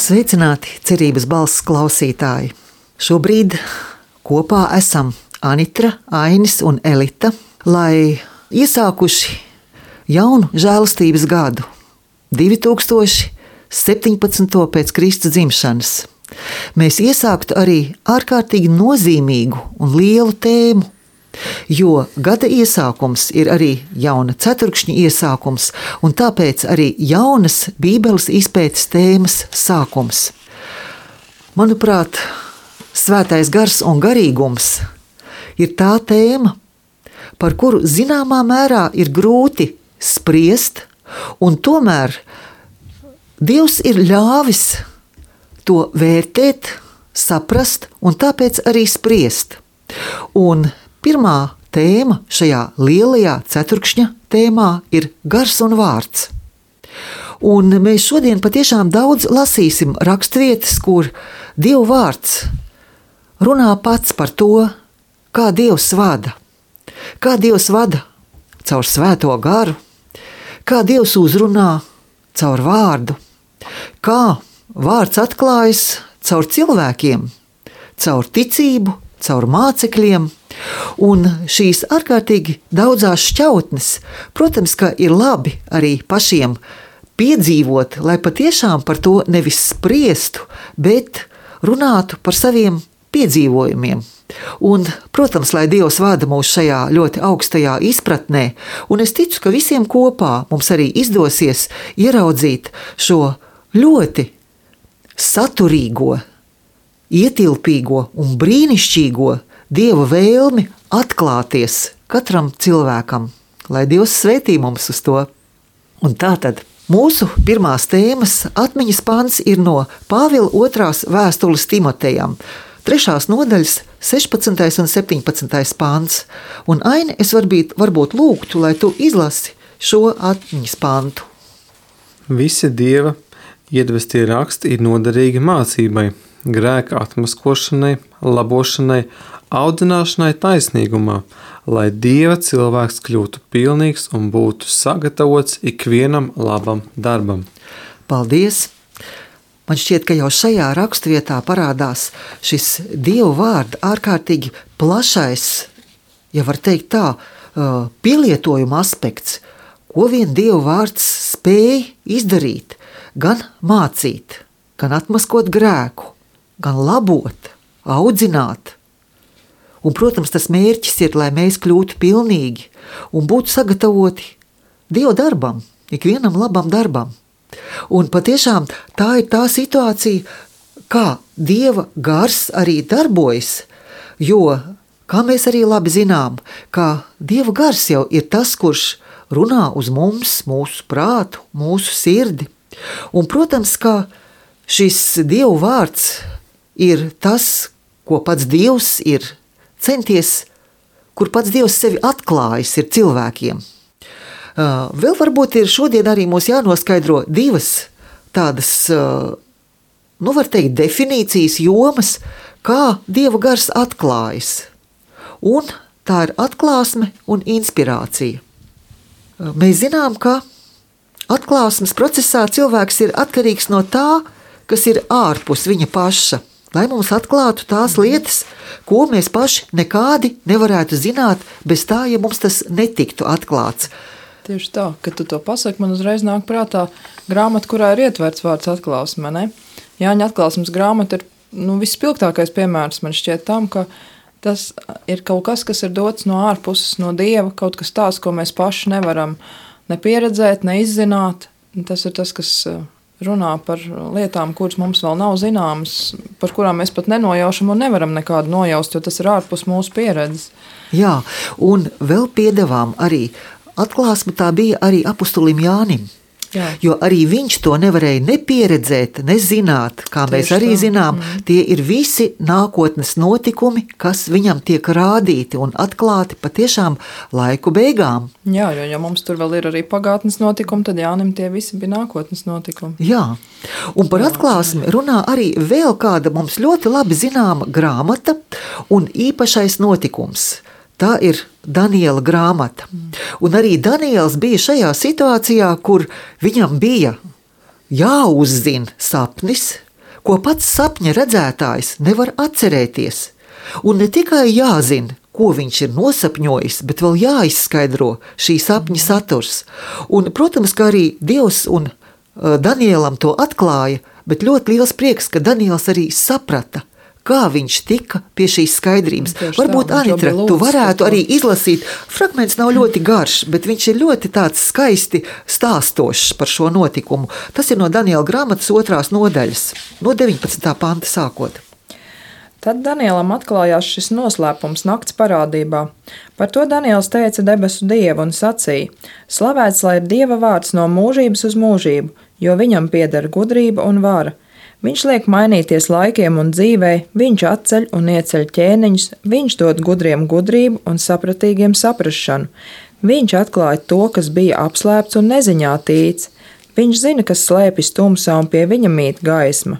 Sveicināti, cerības balss klausītāji! Šobrīd kopā esam Anitra, Ainis un Elita, lai iesākuši jaunu žēlastības gadu, 2017. pēc Kristus dzimšanas. Mēs iesāktu arī ārkārtīgi nozīmīgu un lielu tēmu, jo gada iesākums ir arī jauna ceturkšņa iesākums, un tāpēc arī jaunas Bībeles izpētes tēmas sākums. Manuprāt, svētais gars un garīgums ir tā tēma, par kuru zināmā mērā ir grūti spriest, un tomēr Dievs ir ļāvis to vērtēt, saprast un tāpēc arī spriest. Un pirmā tēma šajā lielajā ceturkšņa tēmā ir gars un vārds. Un mēs šodien patiešām daudz lasīsim raksturvietas, kur Dieva vārds runā pats par to, kā Dievs vada. Kā Dievs vada caur svēto garu, kā Dievs uzrunā caur vārdu, kā vārds atklājas caur cilvēkiem, caur ticību, caur mācekļiem. Un šīs ārkārtīgi daudzās šķautnes, protams, ka ir labi arī pašiem piedzīvot, lai patiešām par to nevis spriestu, bet runātu par saviem piedzīvojumiem. Un, protams, lai Dievs vada mūs šajā ļoti augstajā izpratnē, un es ticu, ka visiem kopā mums arī izdosies ieraudzīt šo ļoti saturīgo, ietilpīgo un brīnišķīgo Dieva vēlmi atklāties katram cilvēkam, lai Dievs svētī mums uz to. Un tātad mūsu pirmās tēmas atmiņas pants ir no Pāvila 2. vēstules Timotejam, 3. nodaļas 16. un 17. pants. Un Aini, es varbūt lūgtu, lai tu izlasi šo atmiņas pantu. Visi Dieva iedvestie raksti ir noderīgi mācībai, grēka atmaskošanai, labošanai, audzināšanai taisnīgumā, lai Dieva cilvēks kļūtu pilnīgs un būtu sagatavots ikvienam labam darbam. Paldies! Man šķiet, ka jau šajā raksturvietā parādās šis Dieva vārda ārkārtīgi plašais, ja var teikt tā, pielietojuma aspekts, ko vien Dieva vārds spēj izdarīt, gan mācīt, gan atmaskot grēku, gan labot, audzināt. Un, protams, tas mērķis ir, lai mēs kļūtu pilnīgi un būtu sagatavoti Dieva darbam, ikvienam labam darbam. Un patiešām tā ir tā situācija, kā Dieva gars arī darbojas, jo, kā mēs arī labi zinām, ka Dieva gars jau ir tas, kurš runā uz mums, mūsu prātu, mūsu sirdi. Un, protams, ka šis Dieva vārds ir tas, ko pats Dievs ir centies, kur pats Dievs sevi atklājis ir cilvēkiem. Vēl varbūt ir šodien arī mums jānoskaidro divas tādas, var teikt, definīcijas jomas, kā Dieva gars atklājas. Un tā ir atklāsme un inspirācija. Mēs zinām, ka atklāsmes procesā cilvēks ir atkarīgs no tā, kas ir ārpus viņa paša, lai mums atklātu tās lietas, ko mēs paši nekādi nevarētu zināt bez tā, ja mums tas netiktu atklāts. Tieši tā, kad tu to pasaki, man uzreiz nāk prātā grāmata, kurā ir ietverts vārds atklāsme, ne? Jāņa atklāsmes grāmata ir vispilgtākais piemērs man šķiet tam, ka tas ir kaut kas, kas ir dots no ārpuses, no Dieva, kaut kas tāds, ko mēs paši nevaram ne pieredzēt, ne izzināt. Tas ir tas, kas runā par lietām, kuras mums vēl nav zināmas, par kurām mēs pat nenojaušam un nevaram nekādu nojaust, jo tas ir ārpus mūsu pieredzes. Jā, un vēl piedevām arī atklāsme tā bija arī apustulim Jānim. Jā. Jo arī viņš to nevarēja nepieredzēt, nezināt, kā tieši mēs arī zinām, tie ir visi nākotnes notikumi, kas viņam tiek rādīti un atklāti patiešām laiku beigām. Jā, jo mums tur vēl ir arī pagātnes notikumi, tad Jānim tie visi bija nākotnes notikumi. Jā, un par atklāsmi runā arī vēl kāda mums ļoti labi zināma grāmata un īpašais notikums. Tā ir Daniela grāmata. Un arī Daniels bija šajā situācijā, kur viņam bija jāuzzina sapnis, ko pats sapņa redzētājs nevar atcerēties. Un ne tikai jāzina, ko viņš ir nosapņojis, bet vēl jāizskaidro šī sapņa saturs. Un, protams, ka arī Dievs un Danielam to atklāja, bet ļoti liels prieks, ka Daniels arī saprata, kā viņš tika pie šīs skaidrības. Varbūt, Anitra, tu varētu arī izlasīt. Fragments nav ļoti garš, bet viņš ir ļoti tāds skaisti stāstošs par šo notikumu. Tas ir no Daniela grāmatas 2. nodaļas, no 19. panta sākot. Tad Danielam atklājās šis noslēpums nakts parādībā. Par to Daniels teica debesu Dievu un sacīja: Slavēts lai ir Dieva vārds no mūžības uz mūžību, jo viņam pieder gudrība un vara. Viņš liek mainīties laikiem un dzīvei, viņš atceļ un ieceļ ķēniņus, viņš dod gudriem gudrību un sapratīgiem saprašanu. Viņš atklāja to, kas bija apslēpts un neziņā tīts. Viņš zina, kas slēpjas tumsā un pie viņa mīt gaisma.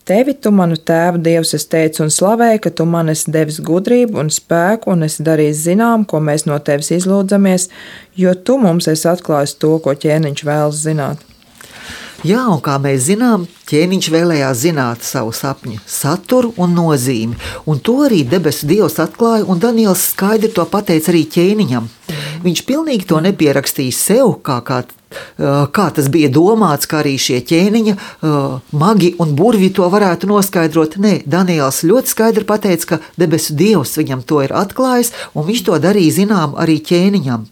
Tevi tu manu tēvu Dievs es teicu un slavēju, ka tu man esi devis gudrību un spēku un esi darījis zinām, ko mēs no tevis izlūdzamies, jo tu mums esi atklājis to, ko ķēniņš vēlas zināt. Jā, un kā mēs zinām, ķēniņš vēlējās zināt savu sapņu saturu un nozīmi, un to arī debesu Dievs atklāja, un Daniels skaidri to pateica arī ķēniņam. Viņš pilnīgi to nepierakstīja sev, kā tas bija domāts, kā arī šie ķēniņa magi un burvi to varētu noskaidrot. Nē, Daniels ļoti skaidri pateica, ka debesu Dievs viņam to ir atklājis, un viņš to darīja zinām arī ķēniņam.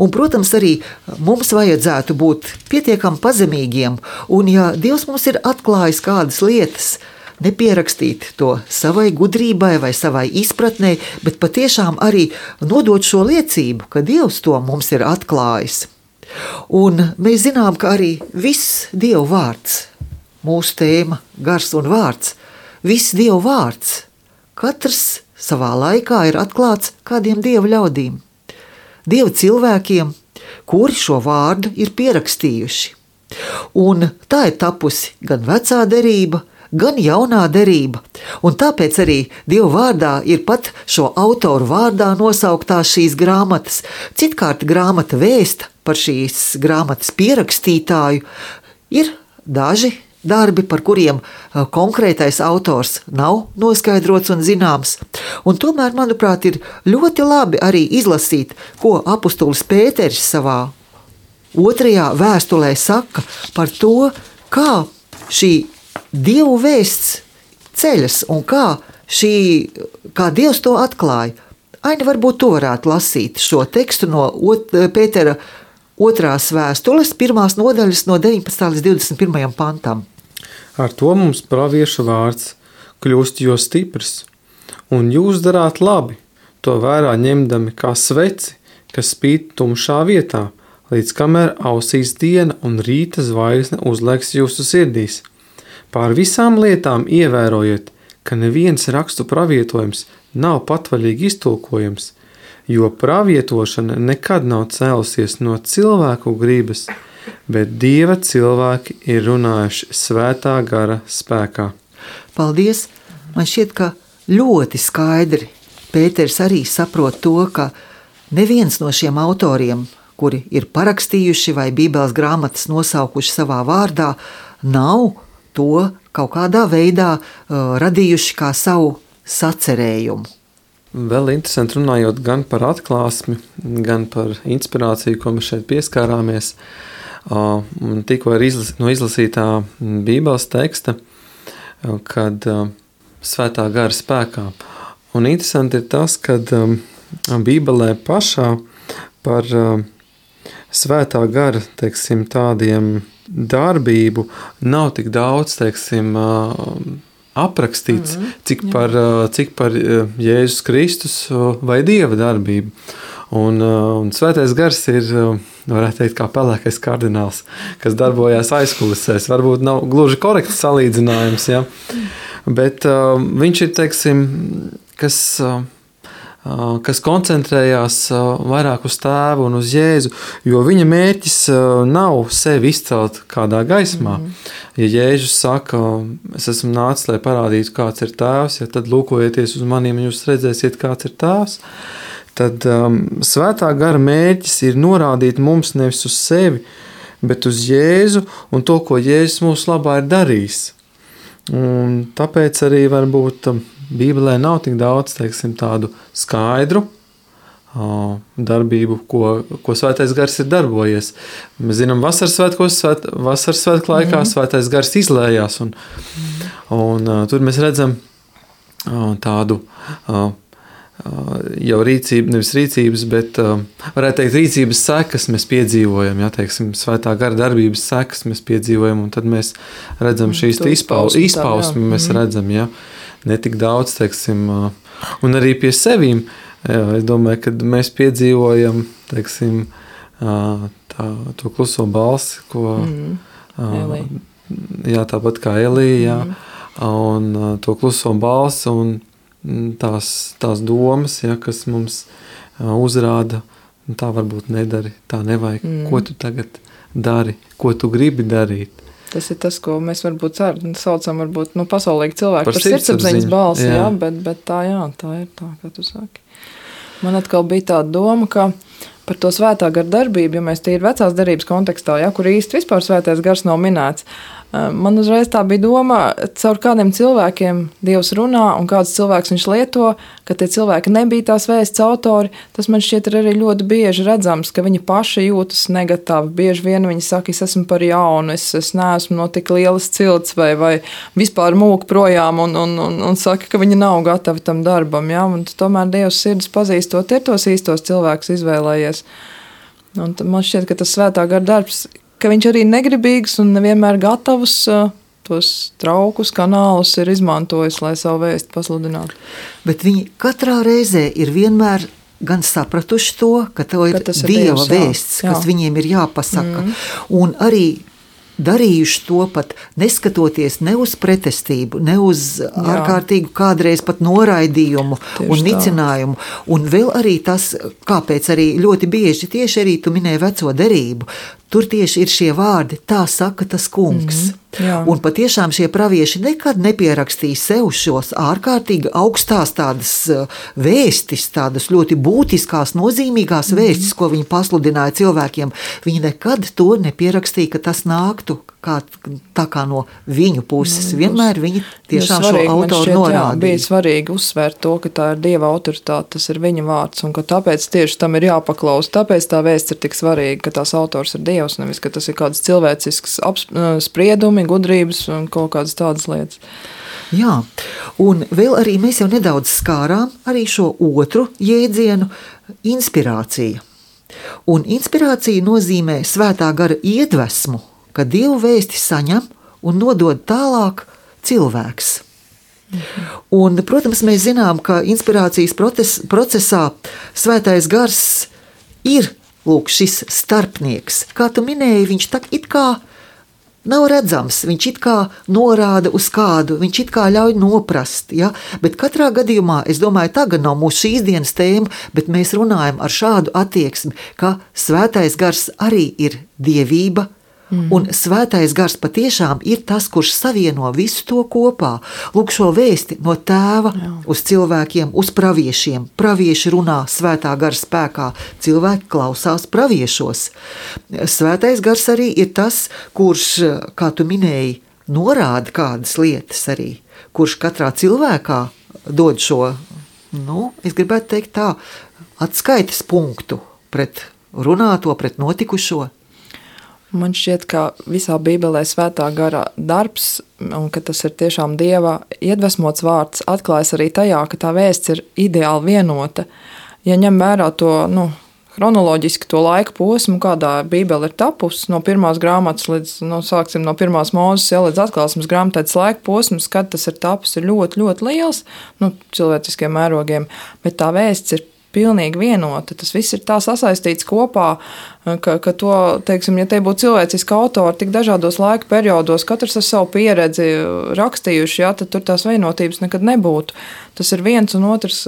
Un, protams, arī mums vajadzētu būt pietiekami pazemīgiem, un ja Dievs mums ir atklājis kādas lietas, nepierakstīt to savai gudrībai vai savai izpratnei, bet patiešām arī nodot šo liecību, ka Dievs to mums ir atklājis. Un mēs zinām, ka arī viss Dieva vārds, mūsu tēma, gars un vārds, viss Dieva vārds, katrs savā laikā ir atklāts kādiem Dieva ļaudīm. Dieva cilvēkiem, kuri šo vārdu ir pierakstījuši. Un tā ir tapusi gan vecā derība, gan jaunā derība. Un tāpēc arī Dieva vārdā ir pat šo autoru vārdā nosauktās šīs grāmatas. Citkārt grāmata vēsta par šīs grāmatas pierakstītāju. Ir daži darbi, par kuriem konkrētais autors nav noskaidrots un zināms. Un tomēr, manuprāt, ir ļoti labi arī izlasīt, ko apustulis Pēteris savā 2. vēstulē saka par to, kā šī Dievu vēsts ceļas un kā Dievs to atklāja. Aini, varbūt tu varētu lasīt šo tekstu no Pētera 2. vēstules, 1. nodaļas no 19. līdz 21. pantam. Ar to mums praviešu vārds kļūst jo stiprs, un jūs darāt labi, to vērā ņemdami kā sveci, kas spīd tumšā vietā, līdz kamēr ausīs diena un rīta zvaigzne uzliekas jūsu sirdīs. Pār visām lietām ievērojiet, ka neviens rakstu pravietojums nav patvaļīgi iztulkojams, jo pravietošana nekad nav cēlusies no cilvēku gribas, bet Dieva cilvēki ir runājuši svētā gara spēkā. Paldies! Man šķiet, ka ļoti skaidri Pēters arī saprot to, ka neviens no šiem autoriem, kuri ir parakstījuši vai Bībeles grāmatas nosaukuši savā vārdā, nav to kaut kādā veidā radījuši kā savu sacerējumu. Vēl interesanti runājot gan par atklāsmi, gan par inspirāciju, ko mēs šeit pieskārāmies. Tikko ir no izlasītā Bībeles teksta, kad svētā gara spēkā. Un interesanti ir tas, kad Bībelē pašā par svētā gara, teiksim, tādiem darbību nav tik daudz, teiksim, aprakstīts, cik par Jēzus Kristus vai Dieva darbību. Un svētais gars ir, varētu teikt, kā pelēkais kardināls, kas darbojās aizkulisēs. Varbūt nav gluži korekts salīdzinājums, ja? Bet viņš ir, teiksim, kas koncentrējās vairāk uz tēvu un uz Jēzu, jo viņa mērķis nav sevi izcelt kādā gaismā. Ja Jēzus saka, es esmu nācis, lai parādītu, kāds ir tēvs, ja tad lūkojieties uz maniem, jūs redzēsiet, kāds ir tēvs, tad svētā gara mērķis ir norādīt mums nevis uz sevi, bet uz Jēzu un to, ko Jēzus mūsu labā ir darījis. Un tāpēc arī varbūt Bībelē nav tik daudz, teiksim, tādu skaidru darbību, ko Svētais Gars ir darbojies. Mēs zinām, vasaras svētku laikā Svētais Gars izlējās, un tur mēs redzam tādu jau rīcību, nevis rīcības, bet varētu teikt rīcības sekas mēs piedzīvojam, teiksim, Svētā Gara darbības sekas mēs piedzīvojam, un tad mēs redzam šīs izpausmi mēs redzam, ne tik daudz, teiksim, un arī pie sevīm. Es domāju, ka mēs piedzīvojam, teiksim, to kluso balsi, ko tāpat kā Elija, un to kluso balsi un tās domas, kas mums uzrāda, tā varbūt nedari, tā nevajag, ko tu tagad dari, ko tu gribi darīt. Tas ir tas, ko mēs varbūt saucam, pasaulīgi cilvēki par sirdsapziņas balsi, bet tā ir tā, kā tu saki. Man atkal bija tāda doma, ka par to Svētā Gara darbību, ja mēs tīri vecās derības kontekstā, kur īsti vispār Svētais Gars nav minēts, man uzreiz tā bija doma, caur kādiem cilvēkiem Dievs runā un kāds cilvēks viņš lieto, ka tie cilvēki nebija tās vēsts autori, tas man šķiet ir arī ļoti bieži redzams, ka viņi paši jūtas negatīvi. Bieži vien viņi saka, es esmu par jaunu, es neesmu no tik lielas cilts vai vispār mūk projām un saka, ka viņi nav gatavi tam darbam. Un tomēr Dievs sirdis pazīstot ir tos īstos cilvēkus izvēlējies. Un man šķiet, ka tas Svētā Gara darbs, ka viņš arī negribīgs un nevienmēr gatavus tos traukus, kanālus ir izmantojis, lai savu vēstu pasludinātu. Bet viņi katrā reizē ir vienmēr gan sapratuši to, ka to ir Dieva vēsts, kas viņiem ir jāpasaka. Un arī darījuši to pat neskatoties ne uz pretestību, ne uz ārkārtīgu kādreiz pat noraidījumu un nicinājumu. Un vēl arī tas, kāpēc arī ļoti bieži tieši arī tu minēji veco derību, tur tieši ir šie vārdi, tā saka tas kungs. Un patiešām šie pravieši nekad nepierakstīja sev šos ārkārtīgi augstās tādas vēstis, tādas ļoti būtiskās, nozīmīgās vēstis, ko viņi pasludināja cilvēkiem. Viņi nekad to nepierakstīja, ka tas nāktu tā kā no viņu puses. Vienmēr viņi tiešām šo autoru norādīja. Bija svarīgi uzsvērt to, ka tā ir Dieva autoritāte, tas ir viņa vārds, un ka tāpēc tieši tam ir jāpaklaus. Tāpēc tā vēsts ir tik svarīga, ka tās autors ir Dievs, nevis, ka tas ir kāds cilvēcisks spriedumi, gudrības un kaut kādas tādas lietas. Jā, un vēl arī mēs jau nedaudz skārām arī šo otru jēdzienu – inspirācija. Un inspirācija nozīmē Svētā Gara iedvesmu, ka Dievu vēsti saņem un nodod tālāk cilvēks. Un, protams, mēs zinām, ka inspirācijas procesā Svētais Gars ir šis starpnieks. Kā tu minēji, viņš tak it kā nav redzams, viņš it kā norāda uz kādu, viņš it kā ļauj noprast, bet katrā gadījumā, es domāju, tagad nav mūsu šīs dienas tēma, bet mēs runājam ar šādu attieksmi, ka Svētais Gars arī ir dievība, un Svētais Gars patiešām ir tas, kurš savieno visu to kopā. Lūk, šo vēsti no tēva uz cilvēkiem, uz praviešiem. Pravieši runā Svētā Gara spēkā, cilvēki klausās praviešos. Svētais Gars arī ir tas, kurš, kā tu minēji, norāda kādas lietas arī, kurš katrā cilvēkā dod šo, es gribētu teikt tā, atskaites punktu pret runāto, pret notikušo. Man šķiet, ka visā Bībelē Svētā Gara darbs, un ka tas ir tiešām Dieva iedvesmots vārds, atklājas arī tajā, ka tā vēsts ir ideāli vienota. Ja ņem vērā to, chronoloģiski to laika posmu, kādā Bībele ir tapusi, no pirmās grāmatas līdz, sāksim no pirmās Mūzes, līdz atklāsmes grāmatai, tas laika posms, kad tas ir tapus, ir ļoti, ļoti liels, cilvēciskiem mērogiem, bet tā vēsts ir pilnīgi vienota. Tas viss ir tā sasaistīts kopā, ka to, teiksim, ja te būtu cilvēciski autori tik dažādos laika periodos, katrs ar savu pieredzi rakstījuši, tad tur tās vienotības nekad nebūtu. Tas ir viens un otrs,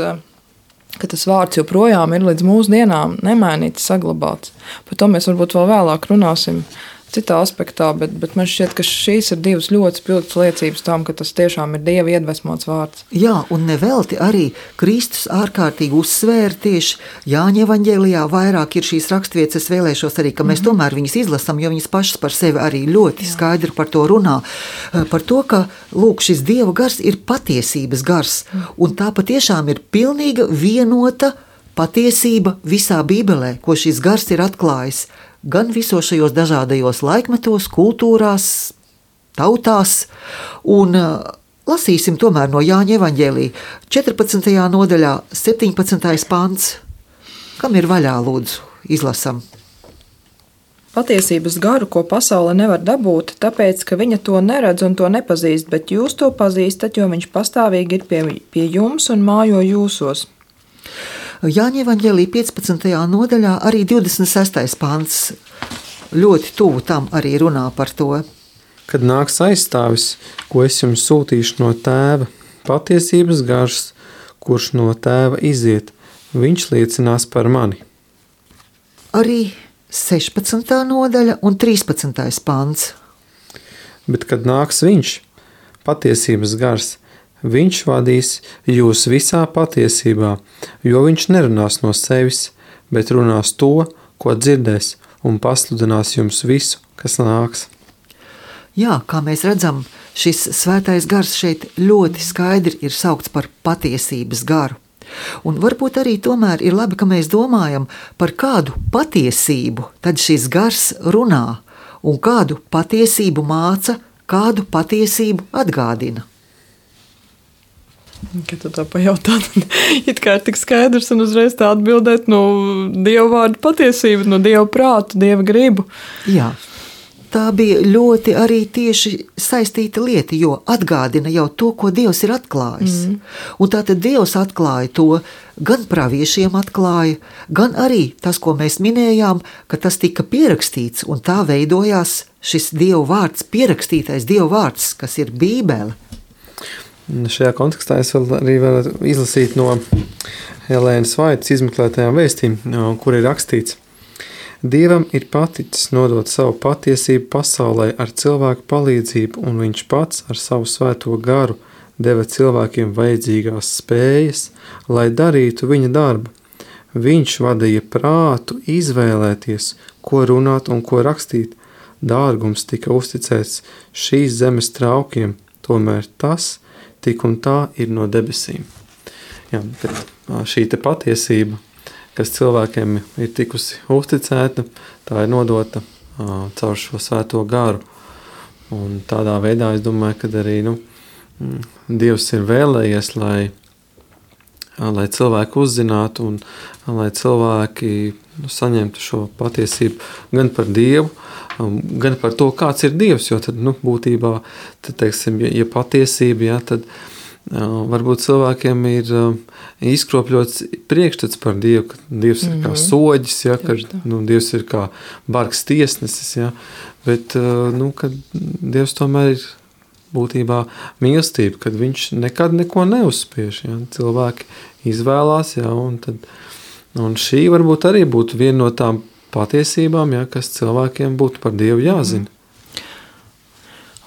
ka tas vārds joprojām ir līdz mūsdienām nemainīts, saglabāts. Par to mēs varbūt vēl vēlāk runāsim citā aspektā, bet man šķiet, ka šīs ir divas ļoti spilgtas liecības tam, ka tas tiešām ir Dieva iedvesmots vārds. Jā, un nevelti arī Kristus ārkārtīgi uzsvēra tieši Jāņa evaņģēlijā vairāk ir šīs rakstvietas, es vēlēšos arī, ka mēs tomēr viņas izlasam, jo viņas pašas par sevi arī ļoti skaidri par to runā, par to, ka, lūk, šis Dieva gars ir patiesības gars, un tā patiešām ir pilnīga vienota patiesība visā Bībelē, ko šis gars ir atklājis, gan visos šajos dažādajos laikmetos, kultūrās, tautās, un lasīsim tomēr no Jāņa evaņģēlija 14. nodaļā 17. pants. Kam ir vaļā, lūdzu, izlasam? Patiesības garu, ko pasaule nevar dabūt, tāpēc, ka viņa to neredz un to nepazīst, bet jūs to pazīstat, jo viņš pastāvīgi ir pie jums un mājo jūsos. Jāņa evaņģēlija 15. nodaļā arī 26. pants ļoti tuvu tam arī runā par to. Kad nāks aizstāvis, ko es jums sūtīšu no tēva, patiesības gars, kurš no tēva iziet, viņš liecinās par mani. Arī 16. nodaļa un 13. pants. Bet kad nāks viņš, patiesības gars, viņš vadīs jūs visā patiesībā, jo viņš nerunās no sevis, bet runās to, ko dzirdēs, un pasludinās jums visu, kas nāks. Jā, kā mēs redzam, šis svētais gars šeit ļoti skaidri ir saukts par patiesības garu. Un varbūt arī tomēr ir labi, ka mēs domājam, par kādu patiesību tad šis gars runā, un kādu patiesību māca, kādu patiesību atgādina. Kad tu tā pajautā, tad it kā ir tik skaidrs un uzreiz tā atbildēt no Dieva vārda patiesību, no Dieva prātu, Dieva gribu. Jā, tā bija ļoti arī tieši saistīta lieta, jo atgādina jau to, ko Dievs ir atklājis. Un tātad Dievs atklāja to, gan praviešiem atklāja, gan arī tas, ko mēs minējām, ka tas tika pierakstīts, un tā veidojās šis Dieva vārds, pierakstītais Dieva vārds, kas ir Bībele. Šajā kontekstā es arī varu izlasīt no Helēnas Vaitas izmeklētajām vēstīm, kur ir rakstīts: Dievam ir paticis nodot savu patiesību pasaulē ar cilvēku palīdzību, un viņš pats ar savu svēto garu deva cilvēkiem vajadzīgās spējas, lai darītu viņa darbu. Viņš vadīja prātu izvēlēties, ko runāt un ko rakstīt. Dārgums tika uzticēts šīs zemes traukiem, tomēr tas tik un tā ir no debesīm. Jā, bet šī te patiesība, kas cilvēkiem ir tikusi uzticēta, tā ir nodota caur šo svēto garu. Un tādā veidā es domāju, ka arī Dievs ir vēlējies, lai cilvēki uzzinātu un lai cilvēki saņemtu šo patiesību gan par Dievu, gan par to, kāds ir Dievs, jo tad, būtībā, tad, teiksim, ja patiesība, ja, tad varbūt cilvēkiem ir izkropļots priekšstats par Dievu, ka Dievs ir kā soģis, ja, ka Dievs ir kā bargs tiesnesis, ja, bet, kad Dievs tomēr ir būtībā mīlestība, kad viņš nekad neko neuzspiež, ja, cilvēki izvēlās, ja, un šī varbūt arī būtu viena no tām patiesībām, ja, kas cilvēkiem būtu par Dievu jāzina.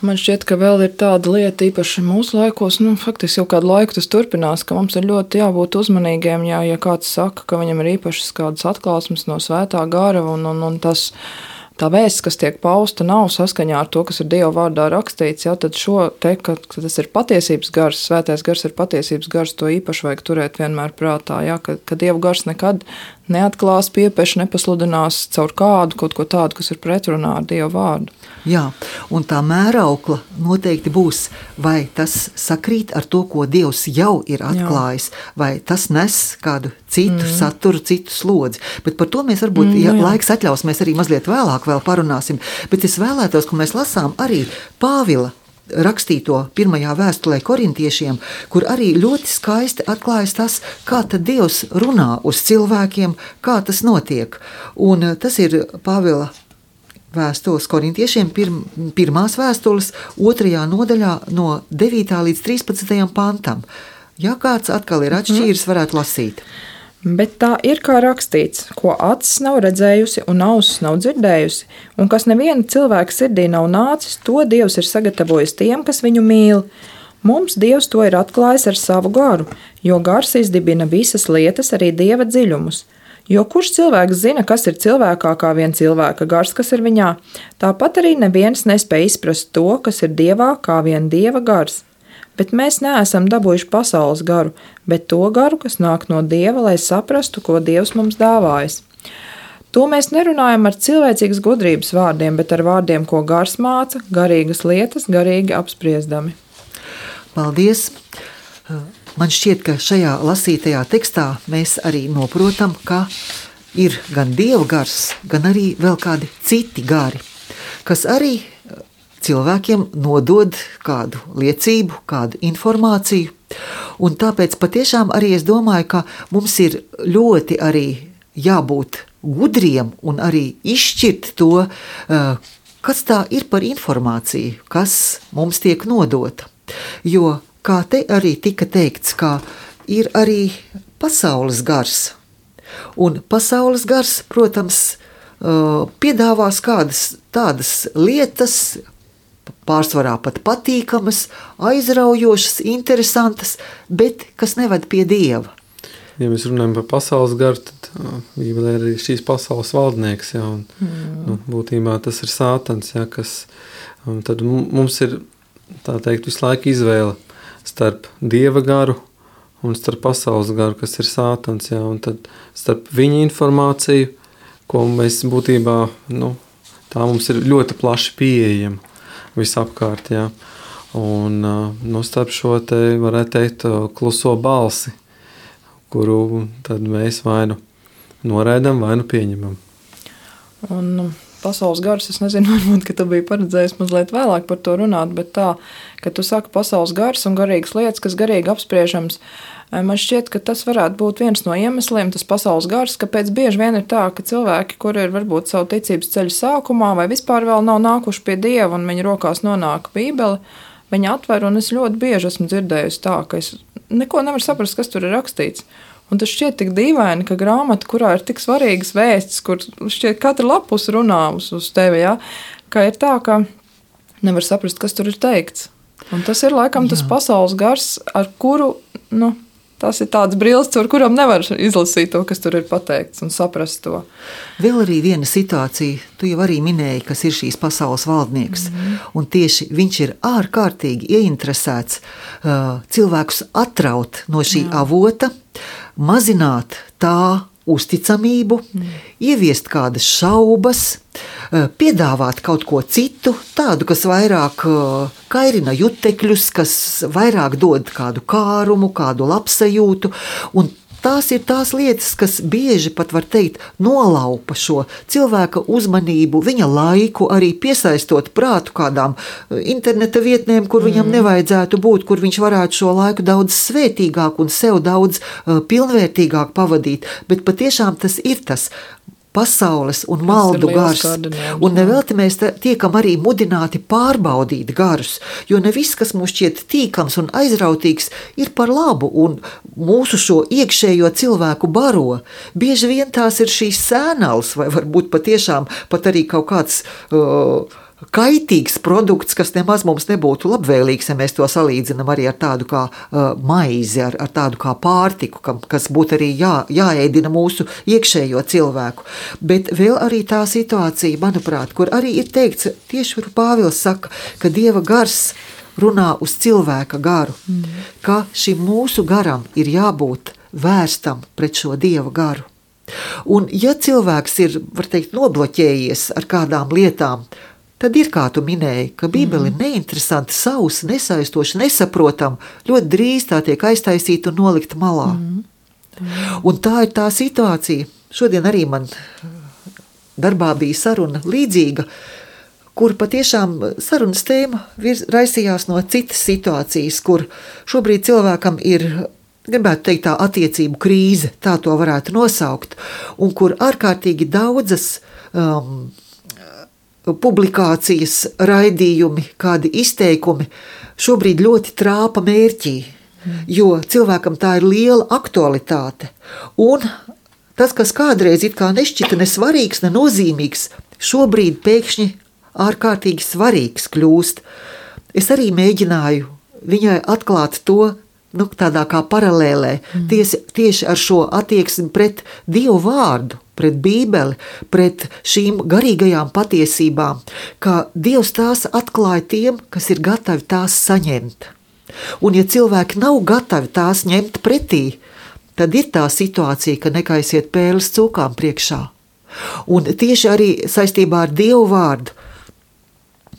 Man šķiet, ka vēl ir tāda lieta, īpaši mūsu laikos, faktiski jau kādu laiku tas turpinās, ka mums ir ļoti jābūt uzmanīgiem, ja kāds saka, ka viņam ir īpašas kādas atklāsmes no svētā gara, un tas, tā vēsts, kas tiek pausta, nav saskaņā ar to, kas ir Dieva vārdā rakstīts, ja, tad šo te, ka tas ir patiesības gars, svētais gars ir patiesības gars, to īpaši vajag turēt vienmēr prātā, ja, ka Dieva gars nekad neatklās, piepeš, nepasludinās caur kādu, kaut ko tādu, kas ir pretrunā ar Dieva vārdu. Jā, un tā mēraukla noteikti būs, vai tas sakrīt ar to, ko Dievs jau ir atklājis, vai tas nes kādu citu saturu, citu slodzi. Bet par to mēs varbūt, ja laiks atļaus, mēs arī mazliet vēlāk vēl parunāsim. Bet es vēlētos, ka mēs lasām arī Pāvila rakstīto pirmajā vēstulē korintiešiem, kur arī ļoti skaisti atklājas tas, kā tad Dievs runā uz cilvēkiem, kā tas notiek. Un tas ir Pāvila vēstules korintiešiem, pirmās vēstules 2. nodaļā no 9. līdz 13. pantam. Ja kāds atkal ir atšķīris, varētu lasīt. Bet tā ir kā rakstīts, ko acis nav redzējusi un ausis nav dzirdējusi, un kas neviena cilvēka sirdī nav nācis, to Dievs ir sagatavojis tiem, kas viņu mīl. Mums Dievs to ir atklājis ar savu garu, jo gars izdibina visas lietas, arī Dieva dziļumus. Jo kurš cilvēks zina, kas ir cilvēkā kā vien cilvēka gars, kas ir viņā? Tāpat arī neviens nespēj izprast to, kas ir Dievā kā vien Dieva gars. Bet mēs neesam dabūjuši pasaules garu, bet to garu, kas nāk no Dieva, lai saprastu, ko Dievs mums dāvājis. To mēs nerunājam ar cilvēcīgas gudrības vārdiem, bet ar vārdiem, ko gars māca, garīgas lietas, garīgi apspriesdami. Paldies! Man šķiet, ka šajā lasītajā tekstā mēs arī noprotam, ka ir gan Dieva gars, gan arī vēl kādi citi gari, kas arī cilvēkiem nodod kādu liecību, kādu informāciju. Un tāpēc patiešām arī es domāju, ka mums ir ļoti arī jābūt gudriem un arī izšķirt to, kas tā ir par informāciju, kas mums tiek nodota. Jo, kā te arī tika teikts, ka ir arī pasaules gars. Un pasaules gars, protams, piedāvās kādas tādas lietas, pārsvarā pat patīkamas, aizraujošas, interesantas, bet kas neved pie Dieva. Ja mēs runājam par pasaules garu, tad Bībelē ir arī šīs pasaules valdnieks, ja, un būtībā tas ir Sātans, ja, kas, tad mums ir, tā teikt, visu laiku izvēle starp Dieva garu un starp pasaules garu, kas ir Sātans, ja, un tad starp viņa informāciju, ko mēs būtībā, tā mums ir ļoti plaši pieejama visapkārt, ja, un starp šo te, varētu teikt, kluso balsi, kuru tad mēs vai nu noraidam, vai nu pieņemam. Un pasaules gars, es nezinu, varbūt, ka tu biji paredzējis mazliet vēlāk par to runāt, bet tā, ka tu saki pasaules gars un garīgas lietas, kas garīgi apspriežams, man šķiet, ka tas varētu būt viens no iemesliem, tas pasaules gars, kāpēc bieži vien ir tā, ka cilvēki, kuri ir varbūt savu ticības ceļu sākumā vai vispār vēl nav nākuši pie Dieva un viņa rokās nonāk Bībele, viņa atver, un es ļoti bieži esmu dzirdējusi tā, ka es neko nevaru saprast, kas tur ir rakstīts. Un tas šķiet tik dīvaini, ka grāmata, kurā ir tik svarīgas vēstis, kur šķiet katra lapus runā uz tevi, ja, ka ir tā, ka nevar saprast, kas tur ir teikts. Un tas ir laikam tas pasaules gars, ar kuru, tas ir tāds brilles, ar kuram nevar izlasīt to, kas tur ir pateikts un saprast to. Vēl arī viena situācija, tu jau arī minēji, kas ir šīs pasaules valdnieks, un tieši viņš ir ārkārtīgi ieinteresēts cilvēkus atraut no šī avota, mazināt tā uzticamību, ieviest kādas šaubas, piedāvāt kaut ko citu, tādu, kas vairāk kairina jutekļus, kas vairāk dod kādu kārumu, kādu labsajūtu, un tās ir tās lietas, kas bieži pat var teikt nolaupa šo cilvēka uzmanību, viņa laiku, arī piesaistot prātu kādām interneta vietnēm, kur viņam nevajadzētu būt, kur viņš varētu šo laiku daudz svētīgāk un sev daudz pilnvērtīgāk pavadīt, bet patiešām tas ir tas pasaules un maldu gars. Un nevelti mēs tiekam arī mudināti pārbaudīt garus, jo ne viss, kas mums šķiet tīkams un aizrautīgs, ir par labu, un mūsu šo iekšējo cilvēku baro. Bieži vien tās ir šīs sēnals, vai varbūt patiešām pat arī kaut kāds kaitīgs produkts, kas nemaz mums nebūtu labvēlīgs, ja mēs to salīdzinām arī ar tādu kā maizi, ar tādu kā pārtiku, kas būtu arī jāēdina mūsu iekšējo cilvēku. Bet vēl arī tā situācija, manuprāt, kur arī ir teikts, tieši kur Pāvils saka, ka Dieva gars runā uz cilvēka garu, ka šim mūsu garam ir jābūt vērstam pret šo Dieva garu. Un ja cilvēks ir, var teikt, nobloķējies ar kādām lietām, tad ir, kā tu minēji, ka Bībele ir neinteresanti, sausa, nesaistoša, nesaprotama, ļoti drīz tā tiek aiztaisīta un nolikta malā. Un tā ir tā situācija. Šodien arī man darbā bija saruna līdzīga, kur patiešām sarunas tēma raisījās no citas situācijas, kur šobrīd cilvēkam ir, gribētu teikt, tā attiecību krīze, tā to varētu nosaukt, un kur ārkārtīgi daudzas publikācijas, raidījumi, kādi izteikumi šobrīd ļoti trāpa mērķī. jo cilvēkam tā ir liela aktualitāte. Un tas, kas kādreiz it kā nešķita ne svarīgs, ne nozīmīgs, šobrīd pēkšņi ārkārtīgi svarīgs kļūst. Es arī mēģināju viņai atklāt to, tādā kā paralēlē, tieši ar šo attieksmi pret Dievu vārdu, pret Bībeli, pret šīm garīgajām patiesībām, ka Dievs tās atklāja tiem, kas ir gatavi tās saņemt. Un ja cilvēki nav gatavi tās ņemt pretī, tad ir tā situācija, ka nekaisiet pēles cūkām priekšā. Un tieši arī saistībā ar Dievu vārdu,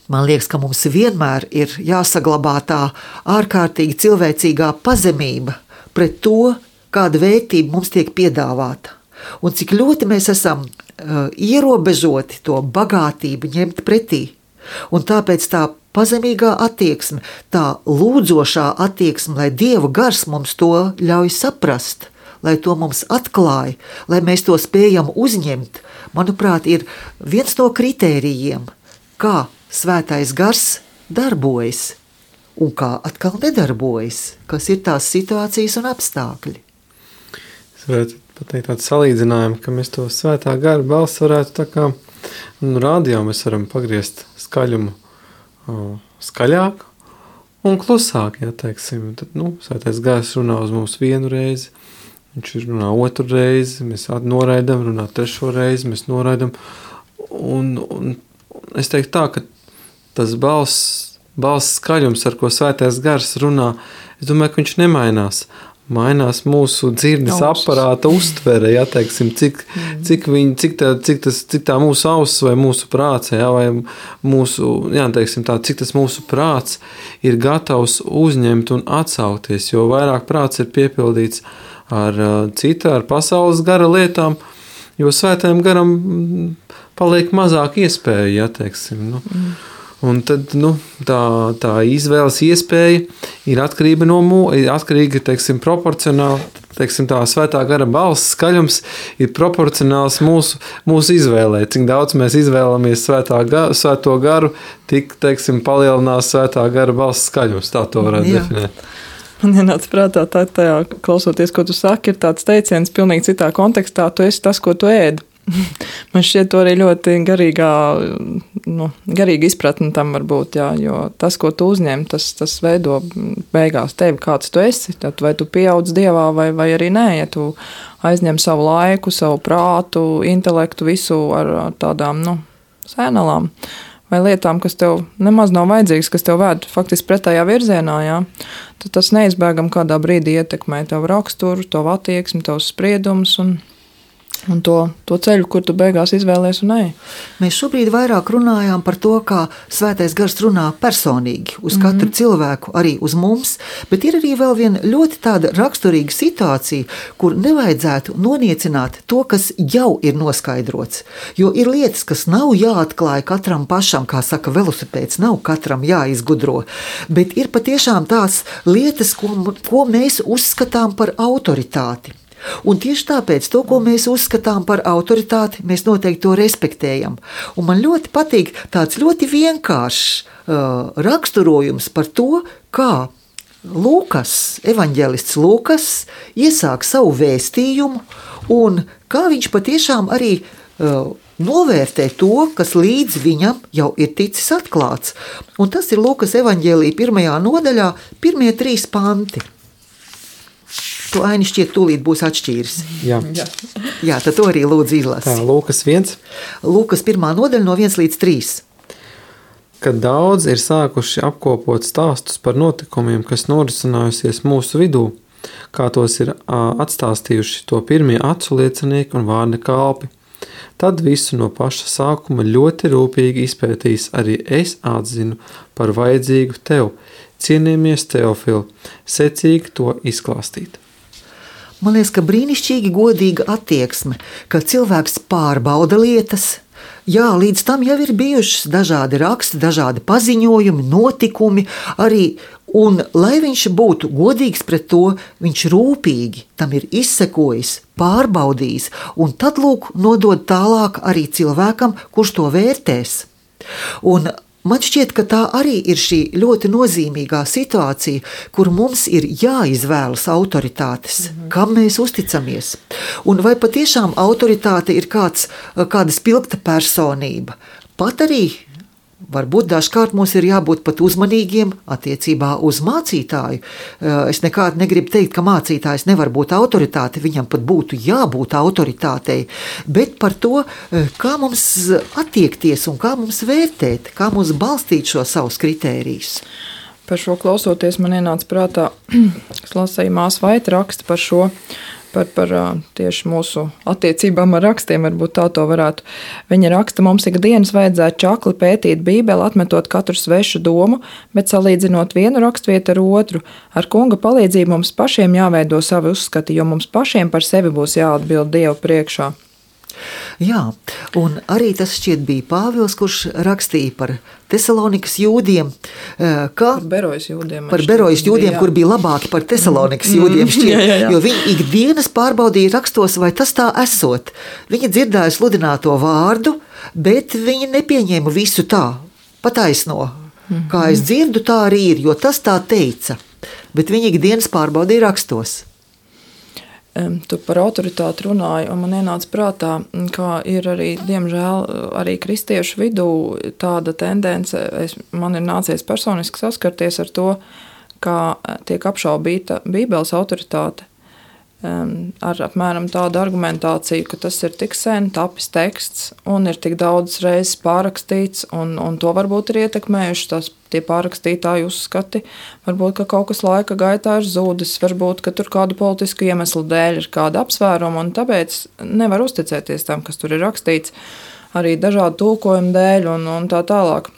man liekas, ka mums vienmēr ir jāsaglabā tā ārkārtīgi cilvēcīgā pazemība pret to, kāda vērtība mums tiek piedāvāta. Un cik ļoti mēs esam ierobežoti to bagātību ņemt pretī. Un tāpēc tā pazemīgā attieksme, tā lūdzošā attieksme, lai Dieva gars mums to ļauj saprast, lai to mums atklāj, lai mēs to spējam uzņemt, manuprāt, ir viens no kritērijiem, kā Svētais gars darbojas un kā atkal nedarbojas, kas ir tās situācijas un apstākļi. Es varētu pateikt tādu salīdzinājumu, ka mēs to Svētā gara balsi varētu tā kā radio mēs varam pagriezt skaļumu skaļāk un klusāk, ja teiksim. Tad, Svētais gars runā uz mums vienu reizi, viņš runā otru reizi, mēs noraidam, runā trešo reizi, mēs noraidam. Un es teiktu tā, ka tas balss skaļums, ar ko Svētais gars runā, es domāju, ka viņš nemainās. Mainās mūsu dzirdes aparāta uztvere, ja, teiksim, cik tā mūsu auss vai mūsu prāts, ja, vai mūsu, ja, teiksim tā, cik tas mūsu prāts ir gatavs uzņemt un atsaukties, jo vairāk prāts ir piepildīts ar pasaules gara lietām, jo Svētajam garam paliek mazāk iespēju, ja, teiksim, Un tad tā izvēles iespēja ir atkarīga, teiksim, proporcionāli, teiksim, tā Svētā gara balss skaļums ir proporcionāls mūsu izvēlē. Cik daudz mēs izvēlamies Svēto garu, tik, teiksim, palielinās Svētā gara balss skaļums. Tā to varētu definēt. Man ienāca prātā tajā, klausoties, ko tu saki, ir tāds teiciens pilnīgi citā kontekstā, tu esi tas, ko tu ēdi. Man šķiet to arī ļoti garīga izpratne tam var būt, jā, jo tas, ko tu uzņem, tas veido beigās tevi, kāds tu esi, tad vai tu pieaudz Dievā vai arī nē, ja tu aizņem savu laiku, savu prātu, intelektu, visu ar tādām, sēnalām vai lietām, kas tev nemaz nav vajadzīgas, kas tev vēd faktiski pretējā virzienā, jā, tad tas neizbēgam kādā brīdī ietekmē tavu raksturu, tavu attieksmi, tavus spriedumus un to ceļu, kur tu beigās izvēlies un ej. Mēs šobrīd vairāk runājām par to, kā Svētais gars runā personīgi uz katru cilvēku, arī uz mums, bet ir arī vēl viena ļoti tāda raksturīga situācija, kur nevajadzētu noniecināt to, kas jau ir noskaidrots. Jo ir lietas, kas nav jāatklāja katram pašam, kā saka velosipēds, nav katram jāizgudro, bet ir patiešām tās lietas, ko mēs uzskatām par autoritāti. Un tieši tāpēc to, ko mēs uzskatām par autoritāti, mēs noteikti to respektējam. Un man ļoti patīk tāds ļoti vienkāršs raksturojums par to, kā evaņģēlists Lūkas iesāk savu vēstījumu un kā viņš patiešām arī novērtē to, kas līdz viņam jau ir ticis atklāts. Un tas ir Lūkas evaņģēlija 1. nodaļā, 1. 3 panti. To Aini šķiet tūlīt būs atšķīris. Jā, tad to arī lūdzu izlasi. Tā, Lūkas 1. Lūkas 1. nodaļa no 1 līdz 3. Kad daudz ir sākuši apkopot stāstus par notikumiem, kas norisinājusies mūsu vidū, kā tos ir atstāstījuši to pirmie acu liecinieki un vārda kalpi, tad visu no paša sākuma ļoti rūpīgi izpētījis arī es atzinu par vajadzīgu tev, cienījamies Teofili, secīgi to izklāstīt. Man liekas, ka brīnišķīgi godīga attieksme, ka cilvēks pārbauda lietas. Jā, līdz tam jau ir bijušas dažādi raksti, dažādi paziņojumi, notikumi arī, un lai viņš būtu godīgs pret to, viņš rūpīgi tam ir izsekojis, pārbaudījis, un tad lūk nodod tālāk arī cilvēkam, kurš to vērtēs. Un man šķiet, ka tā arī ir šī ļoti nozīmīgā situācija, kur mums ir jāizvēlas autoritātes, kam mēs uzticamies. Un vai patiešām autoritāte ir kāda spilgta personība? Pat arī varbūt dažkārt mums ir jābūt pat uzmanīgiem attiecībā uz mācītāju. Es nekādi negribu teikt, ka mācītājs nevar būt autoritāte, viņam pat būtu jābūt autoritātei, bet par to, kā mums attiekties un kā mums vērtēt, kā mums balstīt šo savus kritērijus. Par šo klausoties, man ienāca prātā, es lasīju Māsa Vaita raksta par šo, par tieši mūsu attiecībām ar rakstiem, varbūt tā to varētu. Viņa raksta, mums ikdienas vajadzētu čakli pētīt Bībeli, atmetot katru svešu domu, bet salīdzinot vienu rakstvietu ar otru. Ar Kunga palīdzību mums pašiem jāveido savi uzskati, jo mums pašiem par sevi būs jāatbild Dievu priekšā. Jā, un arī tas šķiet bija Pāvils, kurš rakstīja par Tesalonikas jūdiem, par Berojas jūdiem, kur bija labāki par Tesalonikas jūdiem šķiet, jo viņi ikdienas pārbaudīja rakstos, vai tas tā esot. Viņi dzirdēja sludināto vārdu, bet viņi nepieņēma visu tā, pataisno. Kā es dzirdu, tā arī ir, jo tas tā teica, bet viņi ikdienas pārbaudīja rakstos. Tu par autoritāti runāji, un man ienāca prātā, kā ir arī, diemžēl, arī kristiešu vidū tāda tendence, man ir nācies personiski saskarties ar to, kā tiek apšaubīta Bībeles autoritāte ar apmēram tādu argumentāciju, ka tas ir tik sen tapis teksts un ir tik daudz reizes pārrakstīts, un to varbūt ir ietekmējuši tie pārrakstītāji uzskati, varbūt, ka kaut kas laika gaitā ir zūdis, varbūt, ka tur kādu politisku iemeslu dēļ ir kāda apsvēruma, un tāpēc nevar uzticēties tam, kas tur ir rakstīts, arī dažādu tulkojumu dēļ un tā tālāk.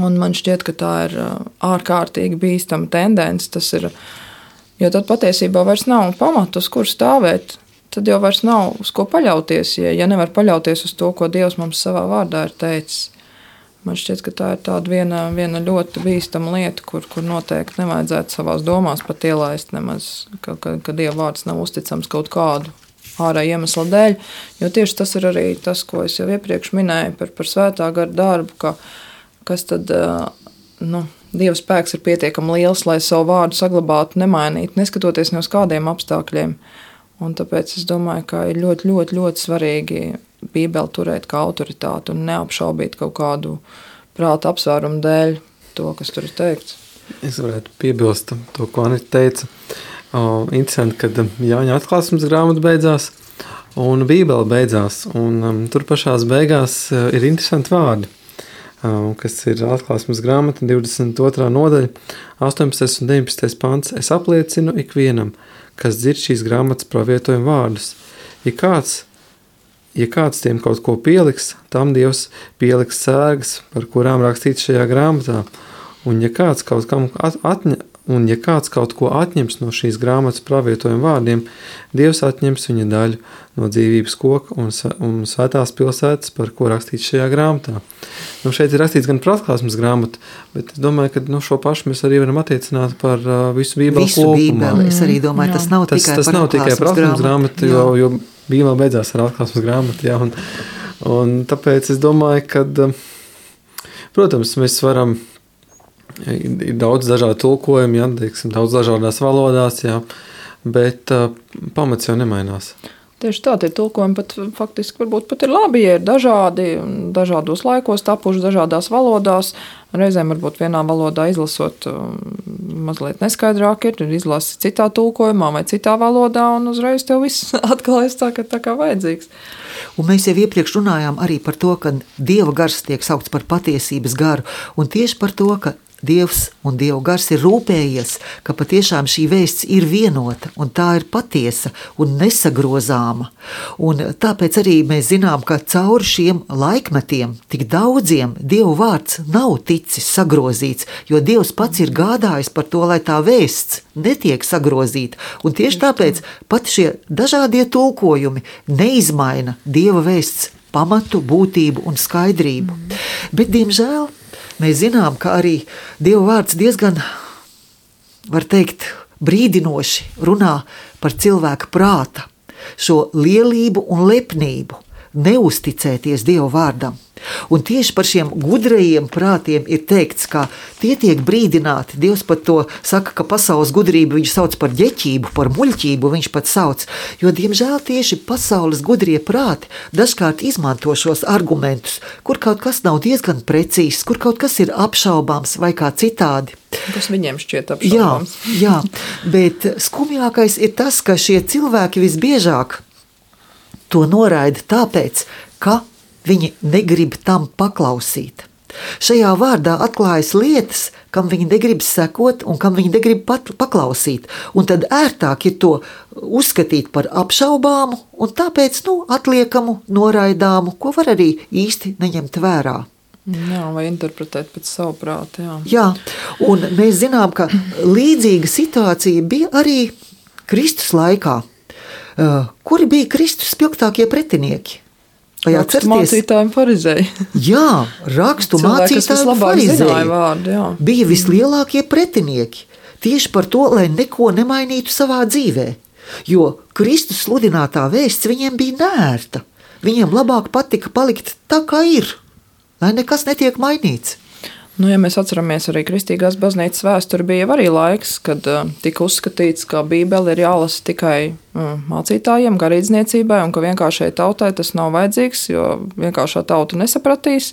Un man šķiet, ka tā ir ārkārtīgi bīstama tendence, tas ir, jo tad patiesībā vairs nav pamatu, uz kur stāvēt, tad jau vairs nav uz ko paļauties, ja nevar paļauties uz to, ko Dievs mums savā vārdā ir teicis. Man šķiet, ka tā ir tāda viena ļoti bīstama lieta, kur noteikti nevajadzētu savās domās pat ielaist nemaz, ka Dieva vārds nav uzticams kaut kādu ārēju iemeslu dēļ, jo tieši tas ir arī tas, ko es jau iepriekš minēju par svētā gara darbu, kas tad, Dieva spēks ir pietiekami liels, lai savu vārdu saglabātu, nemainītu, neskatoties ne uz kādiem apstākļiem. Un tāpēc es domāju, ka ir ļoti, ļoti, ļoti svarīgi Bībeli turēt kā autoritāti un neapšaubīt kaut kādu prāta apsvērumu dēļ to, kas tur ir teikts. Es varētu piebilst to, ko Anita teica. Interesanti, kad Jāņa atklāsmes grāmata beidzās un Bībele beidzās. Un tur pašās beigās ir interesanti vārdi, kas ir atklāsmes grāmata 22. nodaļa, 18. un 19. pants. Es apliecinu ikvienam, kas dzird šīs grāmatas pravietojuma vārdus. Ja kāds tiem kaut ko pieliks, tam Dievs pieliks sērgas, par kurām rakstīts šajā grāmatā. Un ja kāds kaut ko atņems no šīs grāmatas pravietojuma vārdiem, Dievs atņems viņa daļu no dzīvības koka un svētās pilsētas, par ko rakstīts šajā grāmatā. Šeit ir rakstīts gan par atklāsmes grāmatu, bet es domāju, ka šo pašu mēs arī varam attiecināt par visu Bībeli kopumā. Es arī domāju, tas nav tikai par atklāsmes grāmatu, jo Bībele beidzās ar atklāsmes grāmatu. Jā, un tāpēc es domāju, ka, protams, mēs varam, ir daudz dažādu tulkojumu, jā, teiksim, daudz dažādās valodās, jā, bet pamats jau nemainās. Tieši tā, tie tulkojumi pat faktiski varbūt pat ir labi, ja ir dažādi, dažādos laikos tapuši dažādās valodās. Reizēm varbūt vienā valodā izlasot mazliet neskaidrāk ir izlasi citā tulkojumā vai citā valodā, un uzreiz tev viss atklājas tā kā vajadzīgs. Un mēs jau iepriekš runājām arī par to, ka Dieva gars tiek saukts par patiesības garu, un tieši par to, ka Dievs un Dieva gars ir rūpējies, ka patiešām šī vēsts ir vienota un tā ir patiesa un nesagrozāma. Un tāpēc arī mēs zinām, ka cauri šiem laikmetiem tik daudziem Dieva vārds nav ticis sagrozīts, jo Dievs pats ir gādājis par to, lai tā vēsts netiek sagrozīta. Un tieši tāpēc pat šie dažādie tulkojumi neizmaina Dieva vēsts pamatu, būtību un skaidrību. Bet, diemžēl, mēs zinām, ka arī Dieva vārds diezgan, var teikt, brīdinoši runā par cilvēka prāta, šo lielību un lepnību, neusticēties Dieva vārdam. Un tieši par šiem gudrajiem prātiem ir teikts, ka tie tiek brīdināti. Dievs pat to saka, ka pasaules gudrību viņš sauc par ģeķību, par muļķību viņš pat sauc. Jo, diemžēl, tieši pasaules gudrie prāti dažkārt izmanto šos argumentus, kur kaut kas nav diezgan precīzs, kur kaut kas ir apšaubāms vai kā citādi. Kas viņiem šķiet apšaubāms. Jā, bet skumjākais ir tas, ka šie cilvēki visbiežāk to noraida tāpēc, ka viņi negrib tam paklausīt. Šajā vārdā atklājas lietas, kam viņi negrib sekot un kam viņi negrib paklausīt. Un tad ērtāk ir to uzskatīt par apšaubāmu un tāpēc atliekamu, noraidāmu, ko var arī īsti neņemt vērā. Jā, vai interpretēt pēc savu prātu. Jā, un mēs zinām, ka līdzīga situācija bija arī Kristus laikā. Kuri bija Kristus spilgtākie pretinieki? Rakstu mācītāji un farizēji. Jā, rakstu mācītāji un farizēji bija vislielākie pretinieki. Tieši par to, lai neko nemainītu savā dzīvē. Jo Kristus sludinātā vēsts viņiem bija neērta. Viņiem labāk patika palikt tā, kā ir, lai nekas netiek mainīts. Ja mēs atceramies arī Kristīgās baznīcas vēsturi, bija arī laiks, kad tika uzskatīts, ka Bībele ir jālasa tikai mācītājiem, garīdzniecībai, un ka vienkāršai tautai tas nav vajadzīgs, jo vienkāršā tauta nesapratīs,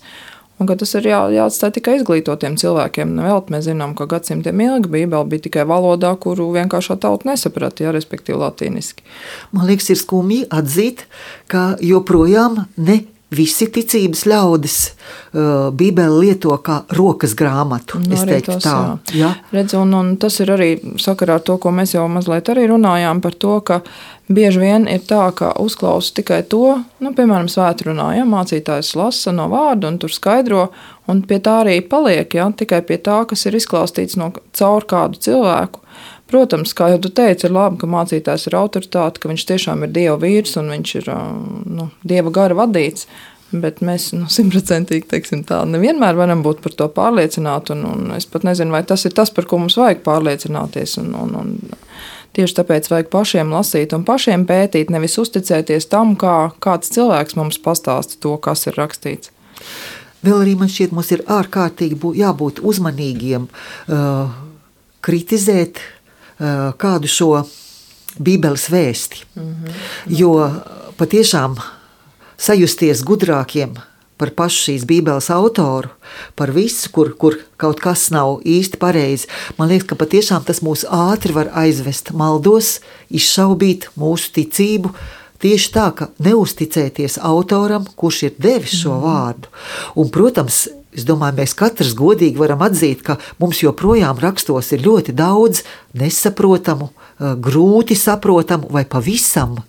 un ka tas ir jāatstāj tikai izglītotiem cilvēkiem. Nevēl mēs zinām, ka gadsimtiem ilgi Bībele bija tikai valodā, kuru vienkāršā tauta nesapratīja, respektīvi latīniski. Man liekas, ir skumji atzīt, ka joprojām ne visi ticības ļaudis Bībeli lieto kā rokas grāmatu. Es teiktu tā. Jā. Redz, un tas ir arī sakarā ar to, ko mēs jau mazliet arī runājām par to, ka bieži vien ir tā, ka uzklausa tikai to, piemēram, svētrunā, mācītājs lasa no vārda un tur skaidro, un pie tā arī paliek, tikai pie tā, kas ir izklāstīts caur kādu cilvēku. Protams, kā jau tu teici, ir labi, ka mācītājs ir autoritāte, ka viņš tiešām ir Dieva vīrs un viņš ir Dieva gara vadīts, bet mēs 100% teiksim tā, nevienmēr varam būt par to pārliecināti, un es pat nezinu, vai tas ir tas, par ko mums vajag pārliecināties, un tieši tāpēc vajag pašiem lasīt un pašiem pētīt, nevis uzticēties tam, kā kāds cilvēks mums pastāsta to, kas ir rakstīts. Vēl arī man šķiet, mums ir ārkārtīgi jābūt uzmanīgiem, kritizēt kādu šo Bībeles vēsti. Jo patiešām sajusties gudrākiem par pašu šīs Bībeles autoru, par visu, kur kaut kas nav īsti pareizi, man liekas, ka patiešām tas mūs ātri var aizvest maldos, izšaubīt mūsu ticību, tieši tā, ka neuzticēties autoram, kurš ir devis šo vārdu. Un, protams, es domāju, mēs katrs godīgi varam atzīt, ka mums joprojām rakstos ir ļoti daudz nesaprotamu, grūti saprotamu vai pavisam,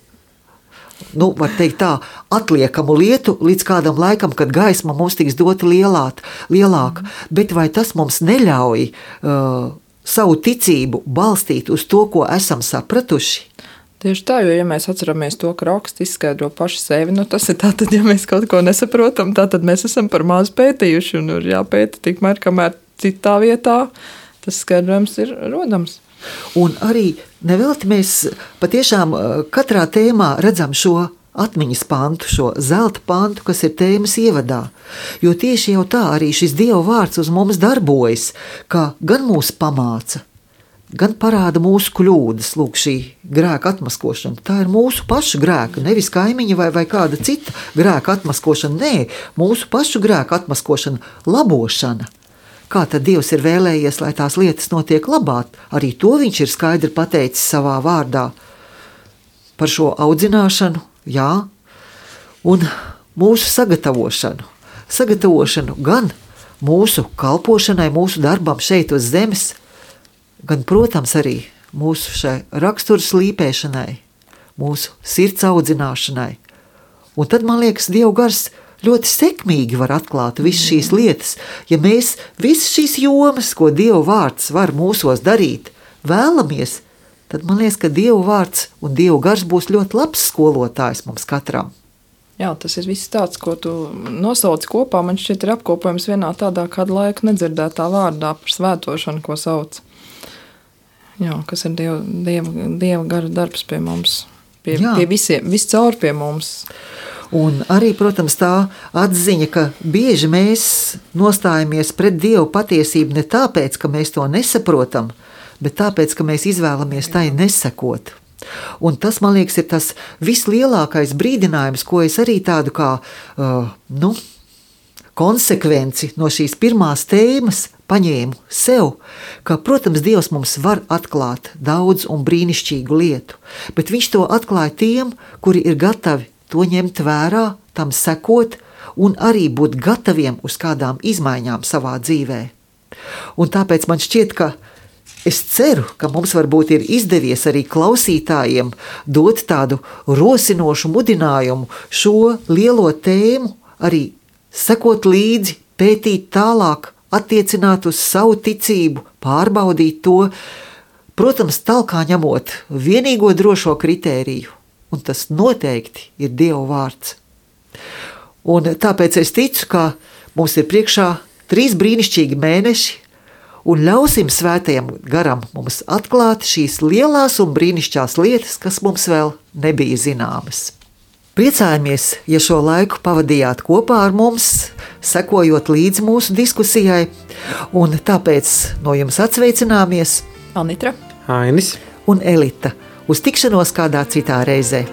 var teikt tā, atliekamu lietu līdz kādam laikam, kad gaisma mums tiks dota lielāka. Bet vai tas mums neļauj savu ticību balstīt uz to, ko esam sapratuši? Tieši tā, jo, ja mēs atceramies to, ka raksts izskaidro paši sevi, tas ir tātad, ja mēs kaut ko nesaprotam, tātad mēs esam par maz pētījuši un ir jāpēta tikmēr, kamēr citā vietā tas skaidrojums ir rodams. Un arī nevelti mēs patiešām katrā tēmā redzam šo atmiņas pantu, šo zelta pantu, kas ir tēmas ievadā. Jo tieši jau tā arī šis Dieva vārds uz mums darbojas, ka gan mūs pamāca, gan parāda mūsu kļūdas, lūk, šī grēka atmaskošana. Tā ir mūsu pašu grēka, nevis kaimiņa vai kāda cita grēka atmaskošana. Nē, mūsu pašu grēka atmaskošana, labošana. Kā tad Dievs ir vēlējies, lai tās lietas notiek labāk? Arī to viņš ir skaidri pateicis savā vārdā par šo audzināšanu, jā, un mūsu sagatavošanu. Sagatavošanu gan mūsu kalpošanai, mūsu darbam šeit uz zemes, gan, protams, arī mūsu šai rakstura slīpēšanai, mūsu sirds audzināšanai. Un tad, man liekas, Dieva gars ļoti sekmīgi var atklāt visas šīs lietas. Ja mēs visas šīs jomas, ko Dieva vārds var mūsos darīt, vēlamies, tad man liekas, ka Dieva vārds un Dieva gars būs ļoti labs skolotājs mums katram. Jā, tas ir viss tāds, ko tu nosauci kopā. Man šķiet ir apkopojums vienā tādā kādu laiku nedzirdētā vārdā par svētošanu, ko sauc. Jā, kas ir Dieva gara darbs pie mums, pie visiem, viscaur pie mums. Un arī, protams, tā atziņa, ka bieži mēs nostājamies pret Dievu patiesību ne tāpēc, ka mēs to nesaprotam, bet tāpēc, ka mēs izvēlamies tai nesekot. Un tas, man liekas, ir tas vislielākais brīdinājums, ko es arī tādu kā konsekvenci no šīs pirmās tēmas paņēmu sev, ka, protams, Dievs mums var atklāt daudz un brīnišķīgu lietu, bet viņš to atklāja tiem, kuri ir gatavi to ņemt vērā, tam sekot un arī būt gataviem uz kādām izmaiņām savā dzīvē. Un tāpēc man šķiet, ka es ceru, ka mums varbūt ir izdevies arī klausītājiem dot tādu rosinošu mudinājumu šo lielo tēmu arī sekot līdzi, pētīt tālāk, attiecināt uz savu ticību, pārbaudīt to, protams, talkā ņemot vienīgo drošo kritēriju, un tas noteikti ir Dieva vārds. Un tāpēc es ticu, ka mums ir priekšā 3 brīnišķīgi mēneši, un ļausim svētajam garam mums atklāt šīs lielās un brīnišķīgās lietas, kas mums vēl nebija zināmas. Priecājamies, ja šo laiku pavadījāt kopā ar mums, sekojot līdzi mūsu diskusijai, un tāpēc no jums atsveicināmies Anitra, Ainis un Elita. Uz tikšanos kādā citā reizē.